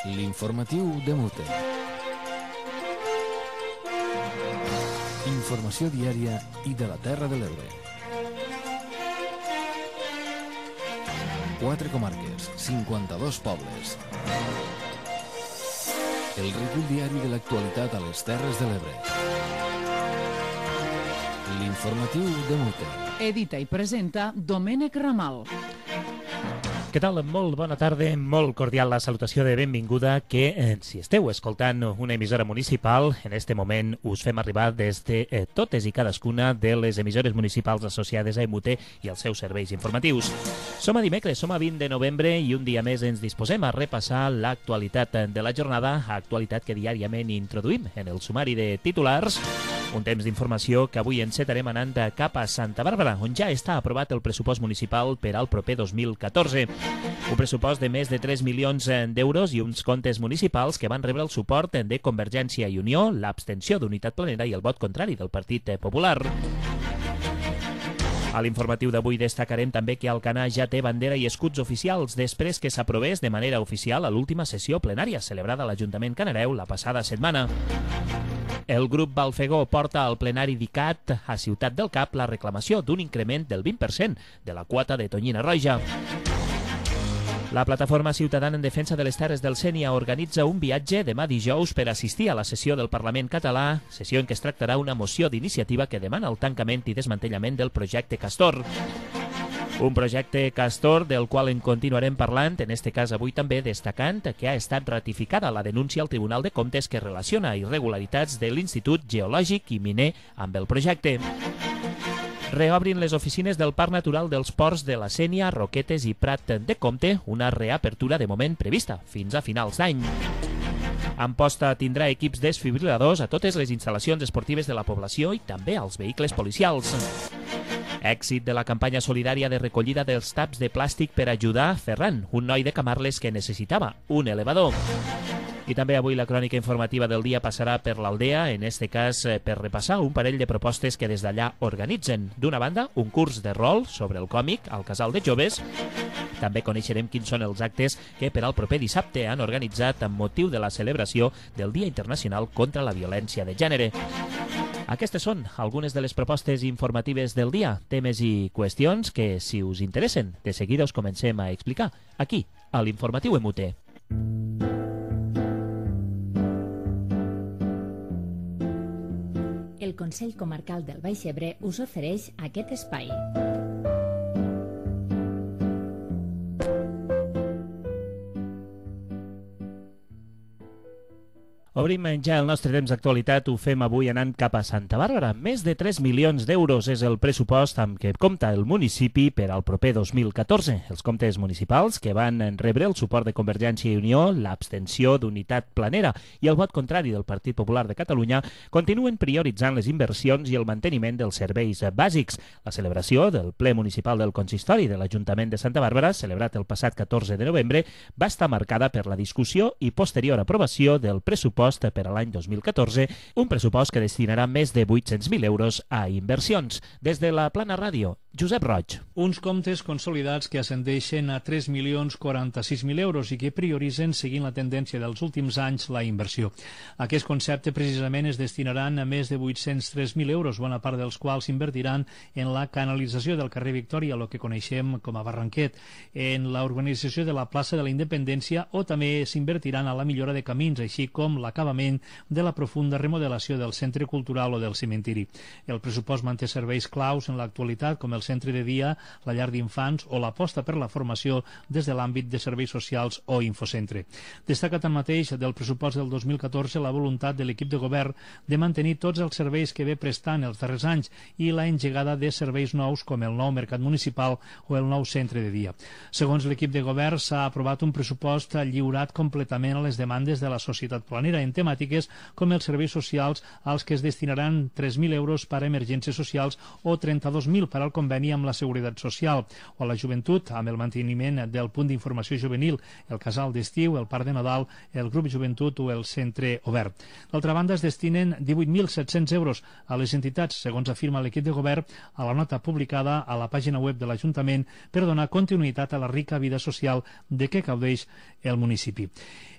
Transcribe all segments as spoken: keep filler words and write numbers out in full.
L'informatiu de Mute. Informació diària i de la Terra de l'Ebre. Quatre comarques, cinquanta-dos pobles. El recull diari de l'actualitat a les Terres de l'Ebre. L'informatiu de Mute. Edita i presenta Domènec Ramal. Què tal? Molt bona tarda, molt cordial la salutació de benvinguda que, eh, si esteu escoltant una emissora municipal, en este moment us fem arribar des de eh, totes i cadascuna de les emissores municipals associades a E M U T i als seus serveis informatius. Som a dimecres, som a vint de novembre i un dia més ens disposem a repassar l'actualitat de la jornada, actualitat que diàriament introduïm en el sumari de titulars. Un temps d'informació que avui encetarem anant cap a Santa Bàrbara, on ja està aprovat el pressupost municipal per al proper dos mil catorze. Un pressupost de més de tres milions d'euros i uns comptes municipals que van rebre el suport de Convergència i Unió, l'abstenció d'Unitat Planera i el vot contrari del Partit Popular. A l'informatiu d'avui destacarem també que Alcanar ja té bandera i escuts oficials després que s'aprovés de manera oficial a l'última sessió plenària celebrada a l'Ajuntament Canareu la passada setmana. El grup Balfegó porta al plenari d'I C A T a Ciutat del Cap la reclamació d'un increment del vint per cent de la quota de tonyina roja. La plataforma ciutadana en defensa de les terres del Sénia organitza un viatge demà dijous per assistir a la sessió del Parlament català, sessió en què es tractarà una moció d'iniciativa que demana el tancament i desmantellament del projecte Castor. Un projecte Castor del qual en continuarem parlant, en este cas avui també destacant que ha estat ratificada la denúncia al Tribunal de Comptes que relaciona irregularitats de l'Institut Geològic i Miner amb el projecte. Reobrin les oficines del Parc Natural dels Ports de la Sénia, Roquetes i Prat de Comte, una reapertura de moment prevista fins a finals d'any. Amposta tindrà equips desfibriladors a totes les instal·lacions esportives de la població i també als vehicles policials. Èxit de la campanya solidària de recollida dels taps de plàstic per ajudar Ferran, un noi de Camarles que necessitava un elevador. I també avui la crònica informativa del dia passarà per l'Aldea, en este cas per repassar un parell de propostes que des d'allà organitzen. D'una banda, un curs de rol sobre el còmic al Casal de Joves. També coneixerem quins són els actes que per al proper dissabte han organitzat amb motiu de la celebració del Dia Internacional contra la Violència de Gènere. Aquestes són algunes de les propostes informatives del dia, temes i qüestions que, si us interessen, de seguida us comencem a explicar aquí, a l'Informatiu E M U T. El Consell Comarcal del Baix Ebre us ofereix aquest espai. Obrim ja el nostre temps d'actualitat, ho fem avui anant cap a Santa Bàrbara. Més de tres milions d'euros és el pressupost amb què compta el municipi per al proper dos mil catorze. Els comptes municipals que van rebre el suport de Convergència i Unió, l'abstenció d'Unitat Planera i el vot contrari del Partit Popular de Catalunya continuen prioritzant les inversions i el manteniment dels serveis bàsics. La celebració del ple municipal del consistori de l'Ajuntament de Santa Bàrbara, celebrat el passat catorze de novembre, va estar marcada per la discussió i posterior aprovació del pressupost per a l'any dos mil catorze, un pressupost que destinarà més de vuit-cents mil euros a inversions. Des de la Plana Ràdio, Josep Roig. Uns comptes consolidats que ascendeixen a tres milions quaranta-sis mil euros i que prioritzen, seguint la tendència dels últims anys, la inversió. Aquest concepte precisament es destinaran a més de vuit-cents tres mil euros, bona part dels quals s'invertiran en la canalització del carrer Victòria, el que coneixem com a Barranquet, en la urbanització de la plaça de la Independència, o també s'invertiran a la millora de camins, així com l'acabament de la profunda remodelació del centre cultural o del cementiri. El pressupost manté serveis claus en l'actualitat, com el centre de dia, la llar d'infants o l'aposta per la formació des de l'àmbit de serveis socials o infocentre. Destaca tanmateix del pressupost del dos mil catorze la voluntat de l'equip de govern de mantenir tots els serveis que ve prestant els darrers anys i la engegada de serveis nous com el nou mercat municipal o el nou centre de dia. Segons l'equip de govern, s'ha aprovat un pressupost lliurat completament a les demandes de la societat planera en temàtiques com els serveis socials, als que es destinaran tres mil euros per a emergències socials o trenta-dos mil per al conveni conveni amb la Seguretat Social, o la joventut amb el manteniment del punt d'informació juvenil, el casal d'estiu, el parc de Nadal, el grup joventut o el centre obert. D'altra banda, es destinen divuit mil set-cents euros a les entitats, segons afirma l'equip de govern a la nota publicada a la pàgina web de l'Ajuntament, per donar continuïtat a la rica vida social de què gaudeix el municipi.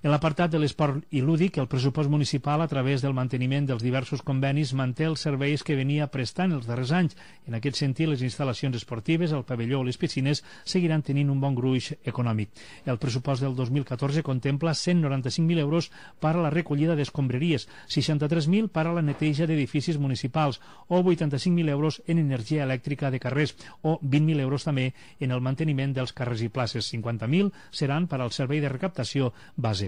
En l'apartat de l'esport i lúdic, el pressupost municipal, a través del manteniment dels diversos convenis, manté els serveis que venia prestant els darrers anys. En aquest sentit, les instal·lacions esportives, el pavelló o les piscines seguiran tenint un bon gruix econòmic. El pressupost del dos mil catorze contempla cent noranta-cinc mil euros per a la recollida d'escombraries, seixanta-tres mil per a la neteja d'edificis municipals o vuitanta-cinc mil euros en energia elèctrica de carrers o vint mil euros també en el manteniment dels carrers i places. cinquanta mil seran per al servei de recaptació base.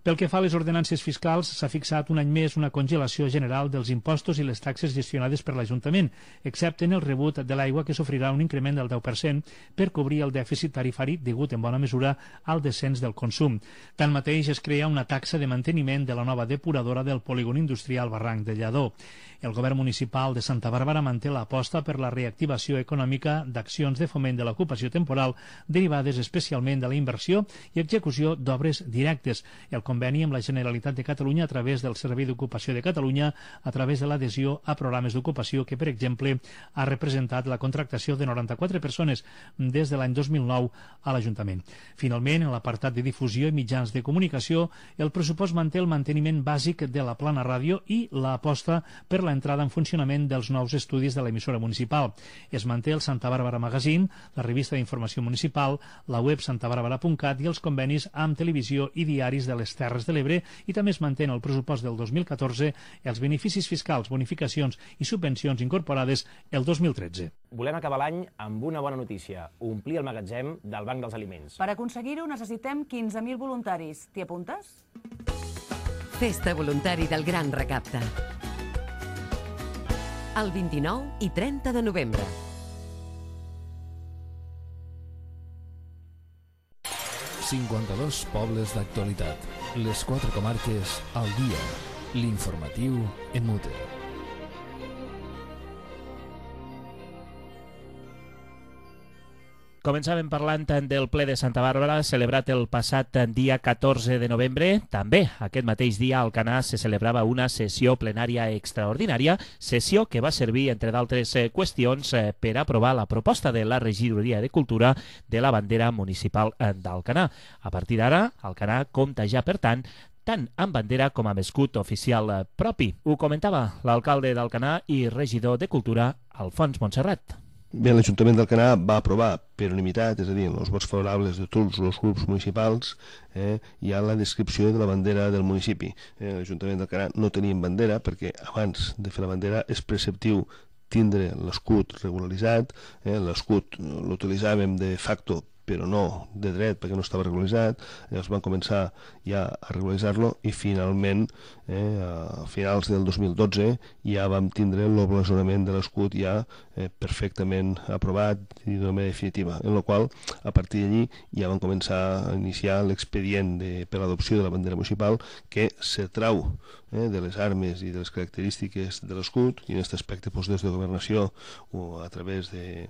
Pel que fa a les ordenances fiscals, s'ha fixat un any més una congelació general dels impostos i les taxes gestionades per l'Ajuntament, excepte en el rebut de l'aigua, que sofrirà un increment del deu per cent per cobrir el dèficit tarifari degut en bona mesura al descens del consum. Tanmateix, es crea una taxa de manteniment de la nova depuradora del polígon industrial Barranc de Lledó. El govern municipal de Santa Bàrbara manté l'aposta per la reactivació econòmica d'accions de foment de l'ocupació temporal derivades especialment de la inversió i execució d'obres directes. El conveni amb la Generalitat de Catalunya a través del Servei d'Ocupació de Catalunya, a través de l'adhesió a programes d'ocupació que, per exemple, ha representat la contractació de noranta-quatre persones des de l'any dos mil nou a l'Ajuntament. Finalment, en l'apartat de difusió i mitjans de comunicació, el pressupost manté el manteniment bàsic de la plana ràdio i l'aposta per l'entrada en funcionament dels nous estudis de l'emissora municipal. Es manté el Santa Bàrbara Magazine, la revista d'informació municipal, la web santa bàrbara punt cat i els convenis amb televisió i diaris de les Terres de l'Ebre, i també es mantén el pressupost del dos mil catorze els beneficis fiscals, bonificacions i subvencions incorporades el dos mil tretze. Volem acabar l'any amb una bona notícia, omplir el magatzem del Banc dels Aliments. Per aconseguir-ho necessitem quinze mil voluntaris. T'hi apuntes? Festa voluntari del Gran Recapte. El vint-i-nou i trenta de novembre. cinquanta-dos pobles d'actualitat. Les quatre comarques al dia. L'informatiu en mute. Començàvem parlant del ple de Santa Bàrbara, celebrat el passat dia catorze de novembre. També aquest mateix dia a Alcanar se celebrava una sessió plenària extraordinària, sessió que va servir, entre d'altres qüestions, per aprovar la proposta de la Regidoria de Cultura de la bandera municipal d'Alcanar. A partir d'ara, Alcanar compta ja, per tant, tant amb bandera com amb escut oficial propi. Ho comentava l'alcalde d'Alcanar i regidor de Cultura, Alfons Montserrat. Bé, l'Ajuntament d'Alcanar va aprovar per unanimitat, és a dir, en els vots favorables de tots els grups municipals, eh, hi ha la descripció de la bandera del municipi. Eh, L'Ajuntament d'Alcanar no teníem bandera perquè abans de fer la bandera és preceptiu tindre l'escut regularitzat, eh, l'escut l'utilitzàvem de facto però no de dret perquè no estava regularitzat. Llavors van començar ja a regularitzar-lo i finalment, eh, a finals del dos mil dotze, ja vam tindre l'oblasonament de l'escut ja eh, perfectament aprovat i de manera definitiva, en la qual a partir d'allí ja van començar a iniciar l'expedient per l'adopció de la bandera municipal, que se trau eh, de les armes i de les característiques de l'escut, i en aquest aspecte doncs, des de governació o a través de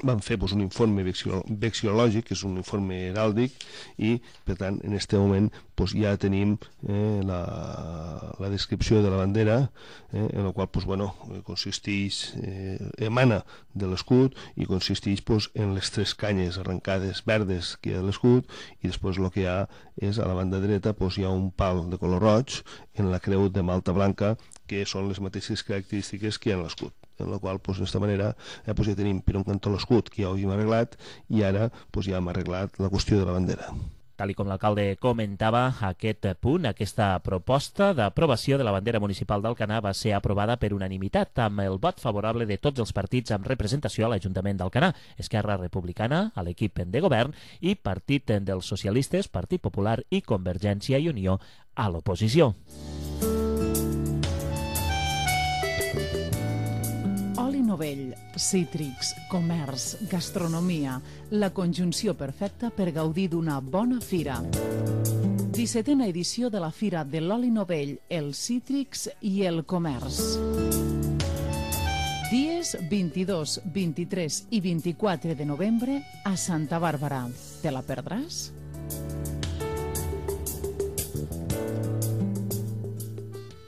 van fer doncs, un informe vexiològic, que és un informe heràldic, i per tant en aquest moment doncs, ja tenim eh, la, la descripció de la bandera, eh, en la qual doncs, bueno, consisteix, eh, emana de l'escut i consisteix doncs, en les tres canyes arrencades verdes que hi ha de l'escut, i després el que hi ha és a la banda dreta doncs, hi ha un pal de color roig en la creu de malta blanca, que són les mateixes característiques que hi ha en l'escut, en la qual, doncs, d'esta manera, eh, doncs, ja tenim per un cantó l'escut, que ja ho havíem arreglat, i ara doncs, ja hem arreglat la qüestió de la bandera. Tal i com l'alcalde comentava, aquest punt, aquesta proposta d'aprovació de la bandera municipal d'Alcanar va ser aprovada per unanimitat, amb el vot favorable de tots els partits amb representació a l'Ajuntament d'Alcanar, Esquerra Republicana, a l'equip de govern, i Partit dels Socialistes, Partit Popular i Convergència i Unió a l'oposició. Novell, cítrics, comerç, gastronomia, la conjunció perfecta per gaudir d'una bona fira. dissetena edició de la Fira de l'Oli Novell, els cítrics i el comerç. Dies vint-i-dos, vint-i-tres i vint-i-quatre de novembre a Santa Bàrbara. Te la perdràs?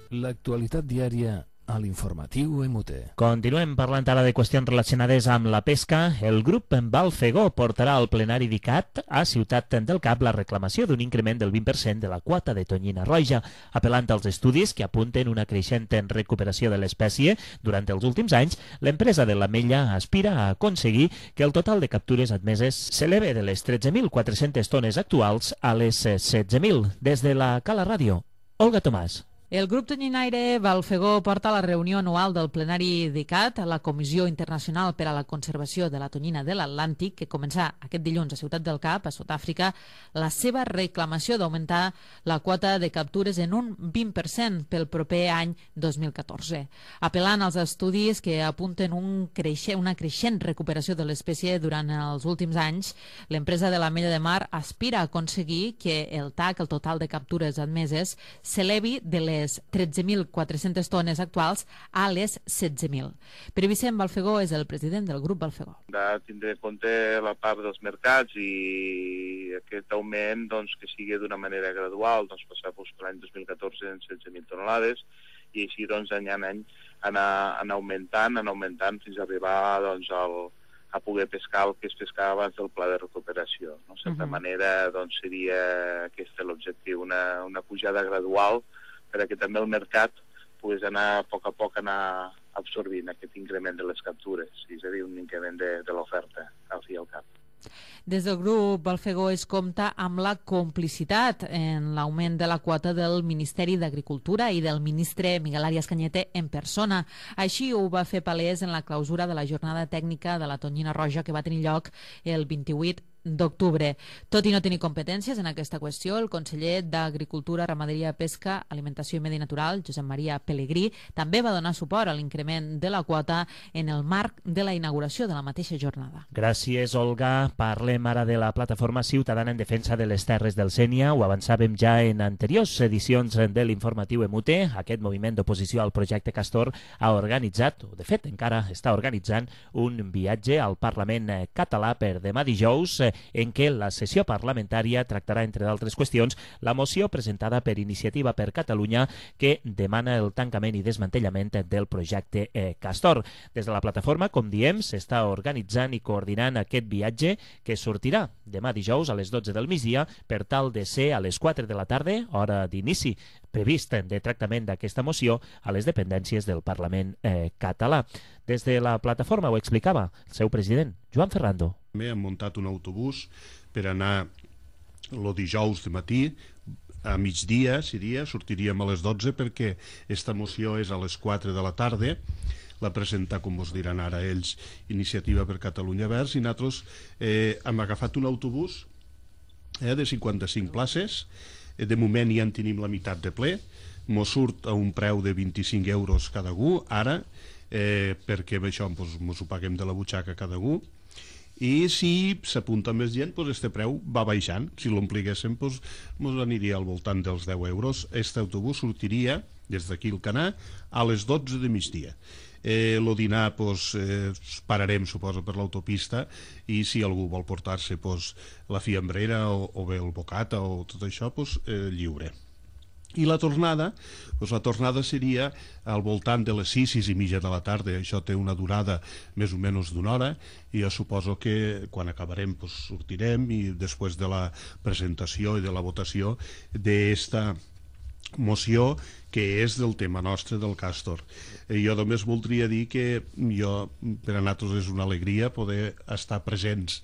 L'actualitat diària a l'informatiu M U T. Continuem parlant ara de qüestions relacionades amb la pesca. El grup Valfegó portarà al plenari d'I C A T a Ciutat del Cap la reclamació d'un increment del vint per cent de la quota de tonyina roja, apel·lant als estudis que apunten una creixent recuperació de l'espècie. Durant els últims anys, l'empresa de l'Ametlla aspira a aconseguir que el total de captures admeses s'eleve de les tretze mil quatre-centes tones actuals a les setze mil. Des de la Cala Ràdio, Olga Tomàs. El grup tonyinaire Valfegó porta a la reunió anual del plenari d'I C A T, la Comissió Internacional per a la Conservació de la Tonyina de l'Atlàntic, que començà aquest dilluns a Ciutat del Cap, a Sud-àfrica, la seva reclamació d'augmentar la quota de captures en un vint per cent pel proper any dos mil catorze. Apel·lant als estudis que apunten un creixent, una creixent recuperació de l'espècie durant els últims anys, l'empresa de l'Ametlla de Mar aspira a aconseguir que el T A C, el total de captures admeses, s'elevi de les tretze mil quatre-centes tones actuals a les setze mil. Pere Vicent Valfegó és el president del grup Valfegó. De tindre en compte la part dels mercats i aquest augment doncs, que sigui d'una manera gradual, doncs, passar doncs, per l'any dos mil catorze en setze mil tonelades i així doncs, any en any anar, anar augmentant, anar augmentant fins a arribar doncs, al, a poder pescar el que es pescava abans del pla de recuperació. No? De certa uh-huh. manera doncs, seria aquest l'objectiu, una, una pujada gradual perquè també el mercat pogués anar a poc a poc anar absorbint aquest increment de les captures, és a dir, un increment de, de l'oferta al fi i al cap. Des del grup Valfegó es compta amb la complicitat en l'augment de la quota del Ministeri d'Agricultura i del ministre Miguel Arias Cañete en persona. Així ho va fer palès en la clausura de la jornada tècnica de la tonyina roja que va tenir lloc el vint-i-vuit d'octubre. Tot i no tenir competències en aquesta qüestió, el conseller d'Agricultura, Ramaderia, Pesca, Alimentació i Medi Natural, Josep Maria Pelegrí, també va donar suport a l'increment de la quota en el marc de la inauguració de la mateixa jornada. Gràcies, Olga. Parlem ara de la plataforma ciutadana en defensa de les terres del Sénia. Ho avançàvem ja en anteriors edicions de l'informatiu M U T. Aquest moviment d'oposició al projecte Castor ha organitzat, o de fet encara està organitzant, un viatge al Parlament català per demà dijous, en què la sessió parlamentària tractarà, entre d'altres qüestions, la moció presentada per Iniciativa per Catalunya que demana el tancament i desmantellament del projecte eh, Castor. Des de la plataforma, com diem, s'està organitzant i coordinant aquest viatge que sortirà demà dijous a les dotze del migdia per tal de ser a les quatre de la tarda, hora d'inici previst de tractament d'aquesta moció, a les dependències del Parlament eh, català. Des de la plataforma ho explicava el seu president, Joan Ferrando. Hem muntat un autobús per anar el dijous de matí, a migdia, seria, sortiríem a les dotze perquè esta moció és a les quatre de la tarda, la presenta, com us diran ara ells, Iniciativa per Catalunya Verds, i nosaltres eh, hem agafat un autobús eh, de cinquanta-cinc places. De moment ja en tenim la meitat de ple, mos surt a un preu de vint-i-cinc euros cada gu, ara, eh, perquè amb això pues, mos ho paguem de la butxaca cada gu, i si s'apunta més gent, pues, este preu va baixant. Si l'ompliguéssim, pues, mos aniria al voltant dels deu euros. Este autobús sortiria des d'aquí al Canà a les dotze de migdia. Eh, el dinar pues, eh, pararem, suposo, per l'autopista, i si algú vol portar-se pues, la fiambrera o, o bé el bocata o tot això, pues, eh, lliure. I la tornada, doncs la tornada seria al voltant de les sis, sis i mitja de la tarda. Això té una durada més o menys d'una hora, i jo suposo que quan acabarem doncs, sortirem, i després de la presentació i de la votació d'esta moció que és del tema nostre del Castor. Eh, jo només voldria dir que jo, per a nosaltres és una alegria poder estar presents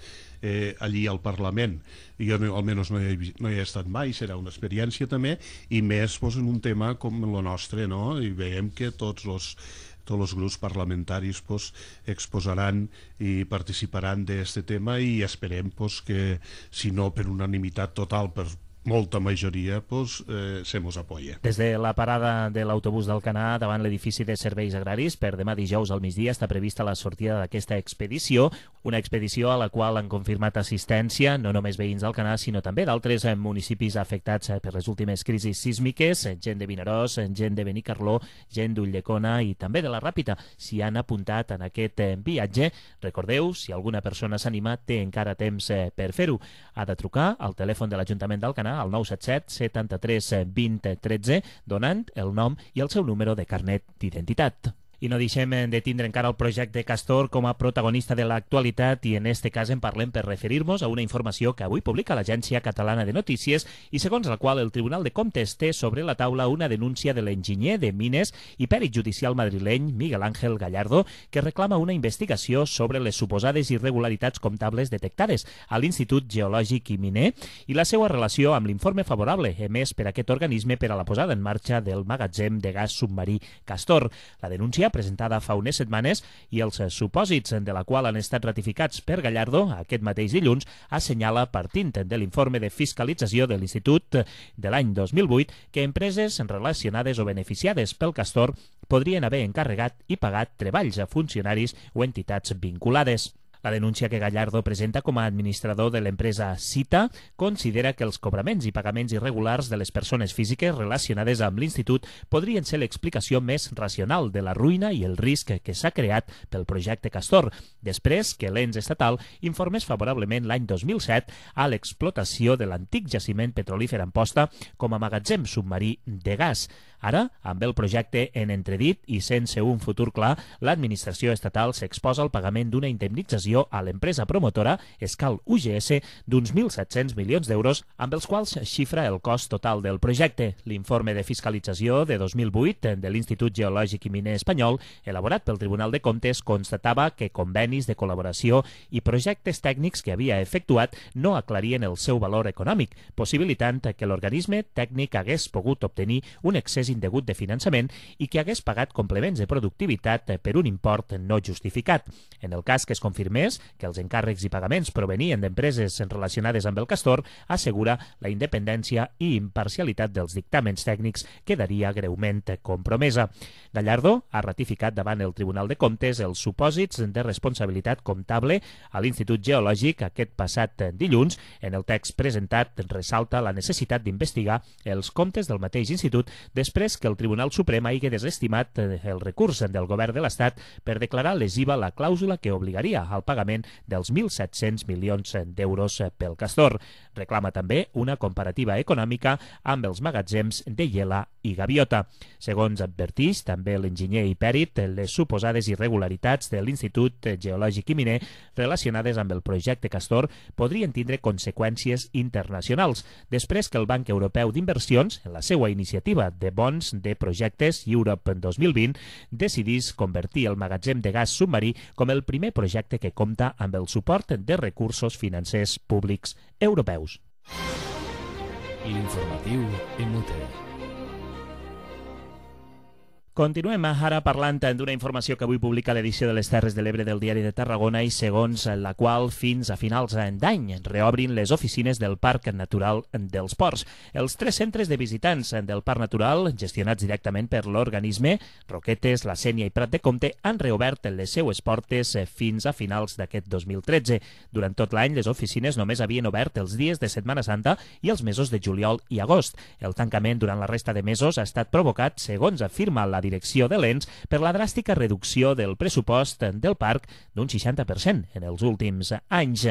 eh, allí al Parlament. Jo no, almenys no hi, no hi he estat mai, serà una experiència també, i més pues, en un tema com el nostre, no? I veiem que tots els tots els grups parlamentaris pues, exposaran i participaran d'aquest tema, i esperem pues, que, si no per unanimitat total, per molta majoria pues, eh, se mos apoya. Des de la parada de l'autobús d'Alcanar davant l'edifici de serveis agraris, per demà dijous al migdia està prevista la sortida d'aquesta expedició, una expedició a la qual han confirmat assistència no només veïns d'Alcanar, sinó també d'altres municipis afectats per les últimes crisis sísmiques, gent de Vinaròs, gent de Benicarló, gent d'Ulldecona i també de la Ràpita. S'hi han apuntat en aquest viatge. Recordeu, si alguna persona s'anima, té encara temps per fer-ho. Ha de trucar al telèfon de l'Ajuntament d'Alcanar al nou set set setanta-tres vint tretze, donant el nom i el seu número de carnet d'identitat. I no deixem de tindre encara el projecte Castor com a protagonista de l'actualitat i en este cas en parlem per referir-nos a una informació que avui publica l'Agència Catalana de Notícies i segons la qual el Tribunal de Comptes té sobre la taula una denúncia de l'enginyer de Mines i pèrit judicial madrileny Miguel Ángel Gallardo que reclama una investigació sobre les suposades irregularitats comptables detectades a l'Institut Geològic i Miner i la seva relació amb l'informe favorable emès per aquest organisme per a la posada en marxa del magatzem de gas submarí Castor. La denúncia presentada fa unes setmanes i els supòsits de la qual han estat ratificats per Gallardo aquest mateix dilluns assenyala, partint de l'informe de fiscalització de l'Institut de l'any dos mil vuit, que empreses relacionades o beneficiades pel Castor podrien haver encarregat i pagat treballs a funcionaris o entitats vinculades. La denúncia que Gallardo presenta com a administrador de l'empresa Cita considera que els cobraments i pagaments irregulars de les persones físiques relacionades amb l'Institut podrien ser l'explicació més racional de la ruïna i el risc que s'ha creat pel projecte Castor, després que l'ens estatal informés favorablement l'any dos mil set a l'explotació de l'antic jaciment petrolífer Amposta com a magatzem submarí de gas. Ara, amb el projecte en entredit i sense un futur clar, l'administració estatal s'exposa al pagament d'una indemnització a l'empresa promotora Escal U G S d'uns mil set-cents milions d'euros, amb els quals xifra el cost total del projecte. L'informe de fiscalització de dos mil vuit de l'Institut Geològic i Miner Espanyol, elaborat pel Tribunal de Comptes, constatava que convenis de col·laboració i projectes tècnics que havia efectuat no aclarien el seu valor econòmic, possibilitant que l'organisme tècnic hagués pogut obtenir un excés indegut de finançament i que hagués pagat complements de productivitat per un import no justificat. En el cas que es confirmés que els encàrrecs i pagaments provenien d'empreses relacionades amb el Castor, assegura la independència i imparcialitat dels dictàmens tècnics quedaria greument compromesa. Gallardo ha ratificat davant el Tribunal de Comptes els supòsits de responsabilitat comptable a l'Institut Geològic aquest passat dilluns. En el text presentat ressalta la necessitat d'investigar els comptes del mateix institut després que el Tribunal Suprem hagi desestimat el recurs del govern de l'Estat per declarar lesiva la clàusula que obligaria al pagament dels mil set-cents milions d'euros pel Castor. Reclama també una comparativa econòmica amb els magatzems de Iela i Gaviota. Segons advertís també l'enginyer i pèrit, les suposades irregularitats de l'Institut Geològic i Miner relacionades amb el projecte Castor podrien tindre conseqüències internacionals, després que el Banc Europeu d'Inversions, en la seva iniciativa de bons de projectes Europe dos mil vint, decidís convertir el magatzem de gas submarí com el primer projecte que compta amb el suport de recursos financers públics europeus. L'informatiu Inútil. Continuem ara parlant d'una informació que avui publica l'edició de les Terres de l'Ebre del Diari de Tarragona i segons la qual fins a finals d'any reobrin les oficines del Parc Natural dels Ports. Els tres centres de visitants del Parc Natural, gestionats directament per l'organisme, Roquetes, La Sénia i Prat de Comte, han reobert les seues portes fins a finals d'aquest dos mil tretze. Durant tot l'any, les oficines només havien obert els dies de Setmana Santa i els mesos de juliol i agost. El tancament durant la resta de mesos ha estat provocat, segons afirma la direcció de l'ens, per la dràstica reducció del pressupost del parc d'un seixanta per cent en els últims anys.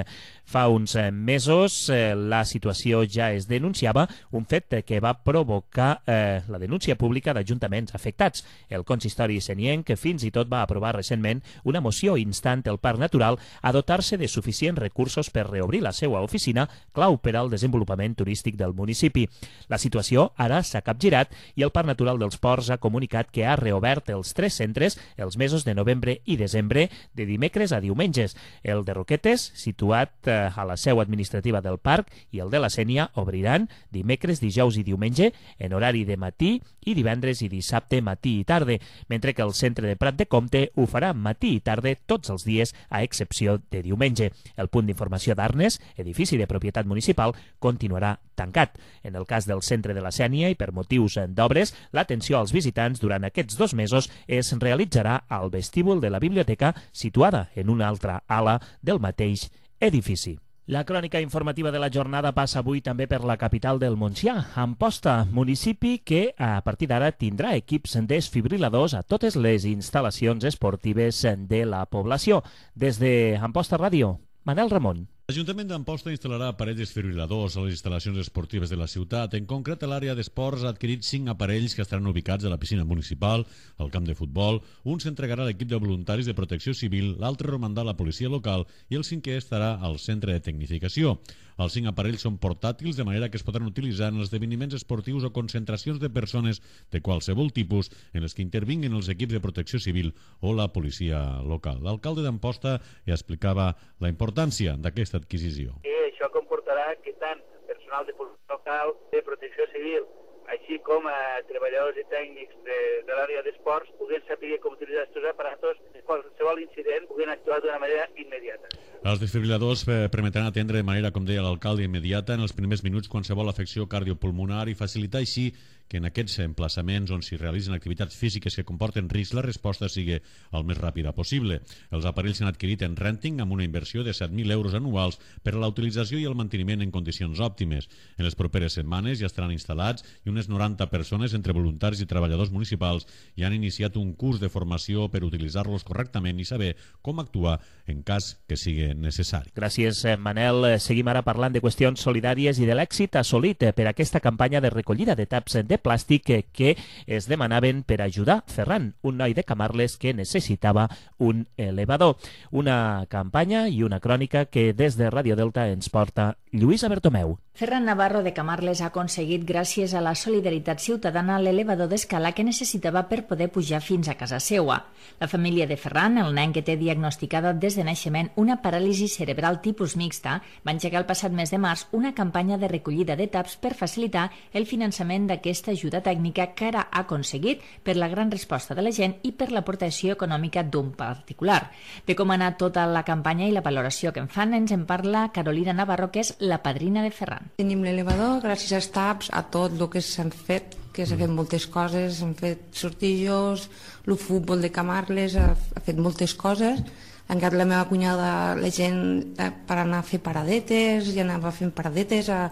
Fa uns mesos eh, la situació ja es denunciava, un fet que va provocar eh, la denúncia pública d'ajuntaments afectats. El consistori senienc fins i tot va aprovar recentment una moció instant el Parc Natural a dotar-se de suficients recursos per reobrir la seva oficina, clau per al desenvolupament turístic del municipi. La situació ara s'ha capgirat i el Parc Natural dels Ports ha comunicat que ha reobert els tres centres els mesos de novembre i desembre de dimecres a diumenges. El de Roquetes, situat a la seu administrativa del parc, i el de la Sénia obriran dimecres, dijous i diumenge en horari de matí i divendres i dissabte matí i tarde, mentre que el centre de Prat de Comte ho farà matí i tarde tots els dies a excepció de diumenge. El punt d'informació d'Arnes, edifici de propietat municipal, continuarà tancat. En el cas del centre de la Sénia i per motius d'obres, l'atenció als visitants durant aquests dos mesos es realitzarà al vestíbul de la biblioteca situada en una altra ala del mateix edifici. La crònica informativa de la jornada passa avui també per la capital del Montsià, Amposta, municipi que a partir d'ara tindrà equips desfibriladors a totes les instal·lacions esportives de la població. Des de Amposta Ràdio, Manel Ramon. L'Ajuntament d'Amposta instal·larà aparells desfibriladors a les instal·lacions esportives de la ciutat. En concret, l'àrea d'esports ha adquirit cinc aparells que estaran ubicats a la piscina municipal, al camp de futbol. Un s'entregarà a l'equip de voluntaris de protecció civil, l'altre romandrà a la policia local i el cinquè estarà al centre de tecnificació. Els cinc aparells són portàtils, de manera que es podran utilitzar en esdeveniments esportius o concentracions de persones de qualsevol tipus en les que intervinguin els equips de protecció civil o la policia local. L'alcalde d'Amposta ja explicava la importància d'aquesta adquisició. I això comportarà que tant personal de policia local, de protecció civil, així com a treballadors i tècnics de, de l'àrea d'esports puguin saber com utilitzar aquests aparatos en qualsevol incident puguin actuar d'una manera immediata. Els desfibriladors permetran atendre de manera, com deia l'alcalde, immediata en els primers minuts qualsevol afecció cardiopulmonar i facilitar així que en aquests emplaçaments on s'hi realitzen activitats físiques que comporten risc la resposta sigui el més ràpida possible. Els aparells s'han adquirit en renting amb una inversió de set mil euros anuals per a la utilització i el manteniment en condicions òptimes. En les properes setmanes ja estaran instal·lats i unes noranta persones entre voluntaris i treballadors municipals ja han iniciat un curs de formació per utilitzar-los correctament i saber com actuar en cas que sigui necessari. Gràcies, Manel. Seguim ara parlant de qüestions solidàries i de l'èxit assolit per aquesta campanya de recollida de taps de plàstic que es demanaven per ajudar Ferran, un noi de Camarles que necessitava un elevador. Una campanya i una crònica que des de Ràdio Delta ens porta Lluïsa Bertomeu. Ferran Navarro de Camarles ha aconseguit, gràcies a la solidaritat ciutadana, l'elevador d'escala que necessitava per poder pujar fins a casa seua. La família de Ferran, el nen que té diagnosticada des de naixement una paràlisi cerebral tipus mixta, va engegar el passat mes de març una campanya de recollida de taps per facilitar el finançament d'aquesta ajuda tècnica que ara ha aconseguit per la gran resposta de la gent i per l'aportació econòmica d'un particular. De com ha anat tota la campanya i la valoració que en fan ens en parla Carolina Navarro, que és la padrina de Ferran. Tenim l'elevador, gràcies als taps, a tot el que s'han fet, que s'han fet moltes coses, s'han fet sortijos, el futbol de Camarles ha, ha fet moltes coses. Encara la meva cunyada, la gent per anar a fer paradetes, i anava fent paradetes a,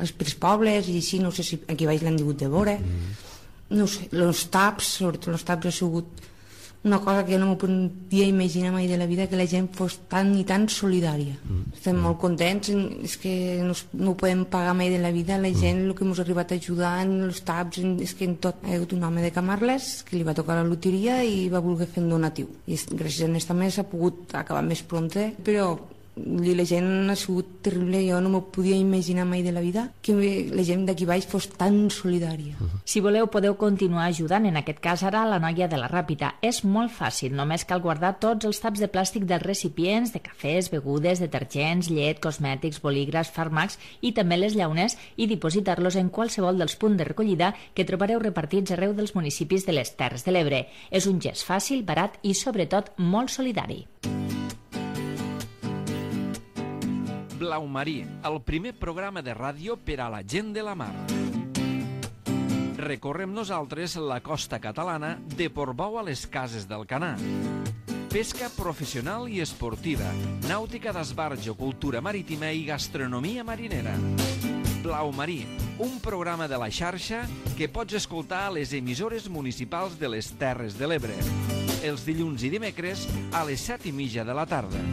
als petits pobles, i així, no sé si aquí baix l'han digut de veure. No sé, els taps, sobretot els taps ha sigut una cosa que jo no m'ho podia imaginar mai de la vida, que la gent fos tan i tan solidària. Mm. Estem mm. molt contents, és que no, no ho podem pagar mai de la vida, la gent, mm. el que ens ha arribat a ajudar en els taps, és que en tot hi ha hagut un home de Camarles que li va tocar la loteria i va voler fer un donatiu. I gràcies a aquesta més s'ha pogut acabar més prompte, però la gent ha sigut terrible, jo no m'ho podia imaginar mai de la vida que la gent d'aquí baix fos tan solidària. Si voleu podeu continuar ajudant, en aquest cas ara la noia de la Ràpita. És molt fàcil, només cal guardar tots els taps de plàstic dels recipients de cafès, begudes, detergents, llet, cosmètics, bolígrafs, fàrmacs i també les llaunes i dipositar-los en qualsevol dels punts de recollida que trobareu repartits arreu dels municipis de les Terres de l'Ebre. És un gest fàcil, barat i sobretot molt solidari. Blau Marí, el primer programa de ràdio per a la gent de la mar. Recorrem nosaltres la costa catalana de Portbou a les Cases d'Alcanar. Pesca professional i esportiva, nàutica d'esbarjo, cultura marítima i gastronomia marinera. Blau Marí, un programa de la xarxa que pots escoltar a les emissores municipals de les Terres de l'Ebre. Els dilluns i dimecres a les set i mitja de la tarda.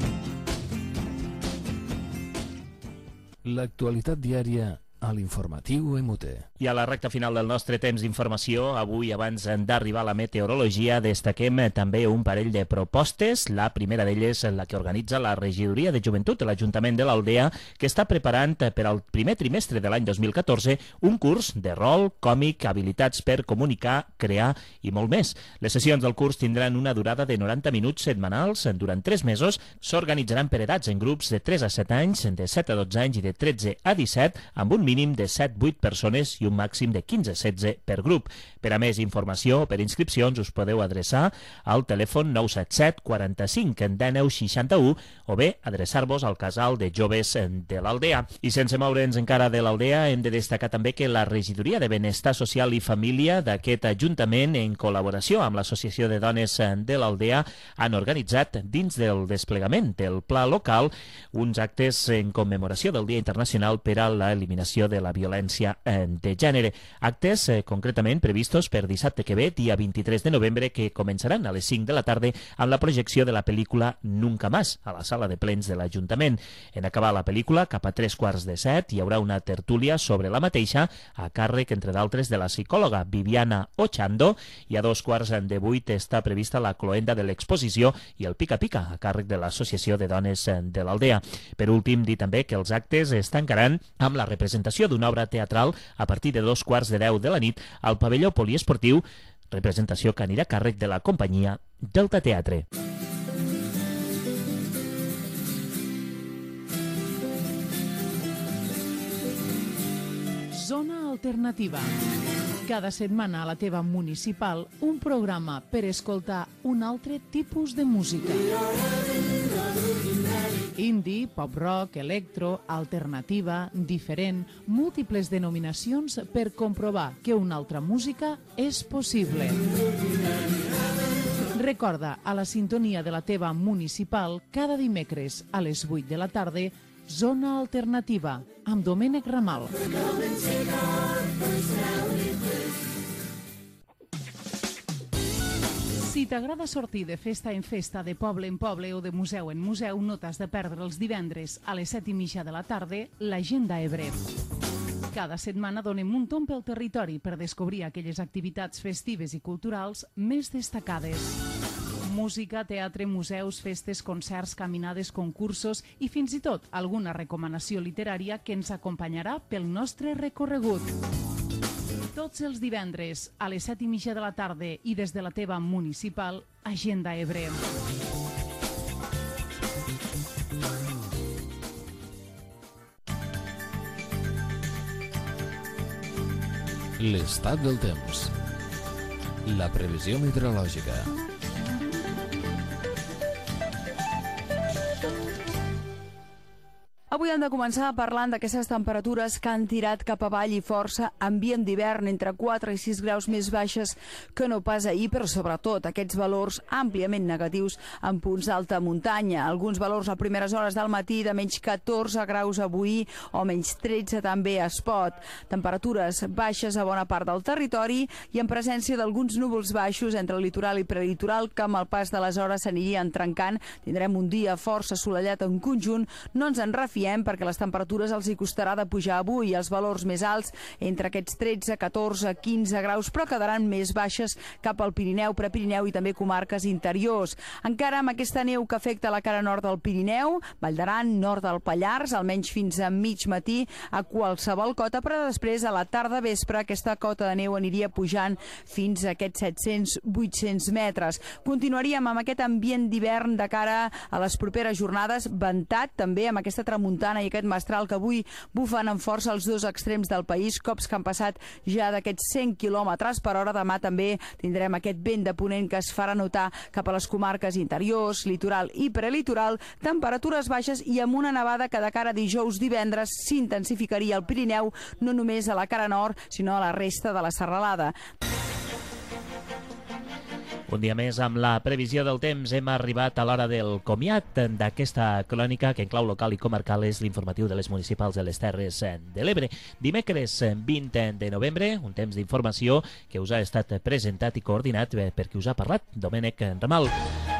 L'actualitat diària a l'informatiu M T. I a la recta final del nostre temps d'informació, avui, abans d'arribar a la meteorologia, destaquem també un parell de propostes. La primera d'elles, la que organitza la Regidoria de Joventut de l'Ajuntament de l'Aldea, que està preparant per al primer trimestre de l'any dos mil catorze un curs de rol, còmic, habilitats per comunicar, crear i molt més. Les sessions del curs tindran una durada de noranta minuts setmanals durant tres mesos. S'organitzaran per edats en grups de tres a set anys, de set a dotze anys i de tretze a disset, amb un mínim de set a vuit persones i un màxim de quinze a setze per grup. Per a més informació o per inscripcions us podeu adreçar al telèfon nou set set quaranta-cinc dinou seixanta-u o bé adreçar-vos al casal de joves de l'Aldea. I sense moure'ns encara de l'Aldea, hem de destacar també que la Regidoria de Benestar Social i Família d'aquest Ajuntament, en col·laboració amb l'Associació de Dones de l'Aldea, han organitzat, dins del desplegament del pla local, uns actes en commemoració del Dia Internacional per a l'Eliminació de la Violència de Gènere. Actes eh, concretament previstos per dissabte que ve, dia vint-i-tres de novembre, que començaran a les cinc de la tarda amb la projecció de la pel·lícula Nunca Más, a la sala de plens de l'Ajuntament. En acabar la pel·lícula, cap a tres quarts de set, hi haurà una tertúlia sobre la mateixa, a càrrec, entre d'altres, de la psicòloga Viviana Ochando, i a dos quarts de vuit està prevista la cloenda de l'exposició i el pica-pica, a càrrec de l'Associació de Dones de l'Aldea. Per últim, dir també que els actes es tancaran amb la representació d'una obra teatral a partir de dos quarts de deu de la nit al pavelló poliesportiu, representació que anirà a càrrec de la companyia Delta Teatre. Zona Alternativa. Cada setmana a la teva municipal, un programa per escoltar un altre tipus de música. Indie, pop-rock, electro, alternativa, diferent, múltiples denominacions per comprovar que una altra música és possible. Recorda, a la sintonia de la teva municipal, cada dimecres a les vuit de la tarda, Zona Alternativa, amb Domènec Ramal. Si t'agrada sortir de festa en festa, de poble en poble o de museu en museu, no t'has de perdre els divendres a les set i mitja de la tarda l'Agenda Ebre. Cada setmana donem un tomb pel territori per descobrir aquelles activitats festives i culturals més destacades. Música, teatre, museus, festes, concerts, caminades, concursos i fins i tot alguna recomanació literària que ens acompanyarà pel nostre recorregut. Tots els divendres a les set i mitja de la tarda i des de la teva municipal, Agenda Ebre. L'estat del temps. La previsió meteorològica. Avui hem de començar parlant d'aquestes temperatures que han tirat cap avall i força, ambient d'hivern entre quatre i sis graus més baixes que no pas ahir, però sobretot aquests valors àmpliament negatius en punts d'alta muntanya. Alguns valors a primeres hores del matí de menys catorze graus avui o menys tretze també a Espot. Temperatures baixes a bona part del territori i en presència d'alguns núvols baixos entre el litoral i prelitoral que amb el pas de les hores s'anirien trencant. Tindrem un dia força assolellat en conjunt, no ens en refiem perquè les temperatures els hi costarà de pujar avui. Els valors més alts entre aquests tretze, catorze, quinze graus, però quedaran més baixes cap al Pirineu, Prepirineu i també comarques interiors. Encara amb aquesta neu que afecta la cara nord del Pirineu, Vall d'Aran, nord del Pallars, almenys fins a mig matí a qualsevol cota, però després a la tarda vespre aquesta cota de neu aniria pujant fins a aquests set-cents vuit-cents metres. Continuaríem amb aquest ambient d'hivern de cara a les properes jornades, ventat també amb aquesta tramuntana i aquest mestral que avui bufen amb força els dos extrems del país, cops que han passat ja d'aquests cent quilòmetres per hora. Demà també tindrem aquest vent de ponent que es farà notar cap a les comarques interiors, litoral i prelitoral, temperatures baixes i amb una nevada que de cara a dijous divendres s'intensificaria al Pirineu, no només a la cara nord, sinó a la resta de la serralada. Un dia més amb la previsió del temps hem arribat a l'hora del comiat d'aquesta crònica que en clau local i comarcal és l'informatiu de les municipals de les Terres de l'Ebre. Dimecres vint de novembre, un temps d'informació que us ha estat presentat i coordinat per qui us ha parlat, Domènec Ramal.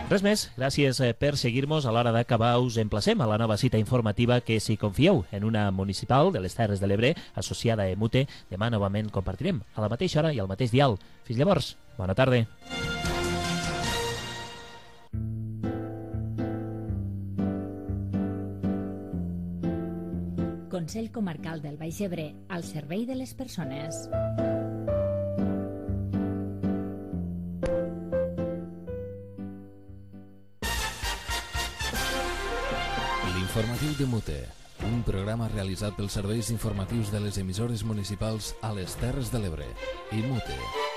Res més, gràcies per seguir-nos. A l'hora d'acabar us emplacem a la nova cita informativa que, si confieu en una municipal de les Terres de l'Ebre associada a Emute, demà novament compartirem a la mateixa hora i al mateix dial. Fins llavors, bona tarda. Consell Comarcal del Baix Ebre, al servei de les persones. L'informatiu de Mute. Un programa realitzat pels serveis informatius de les emissores municipals a les Terres de l'Ebre. I Mute.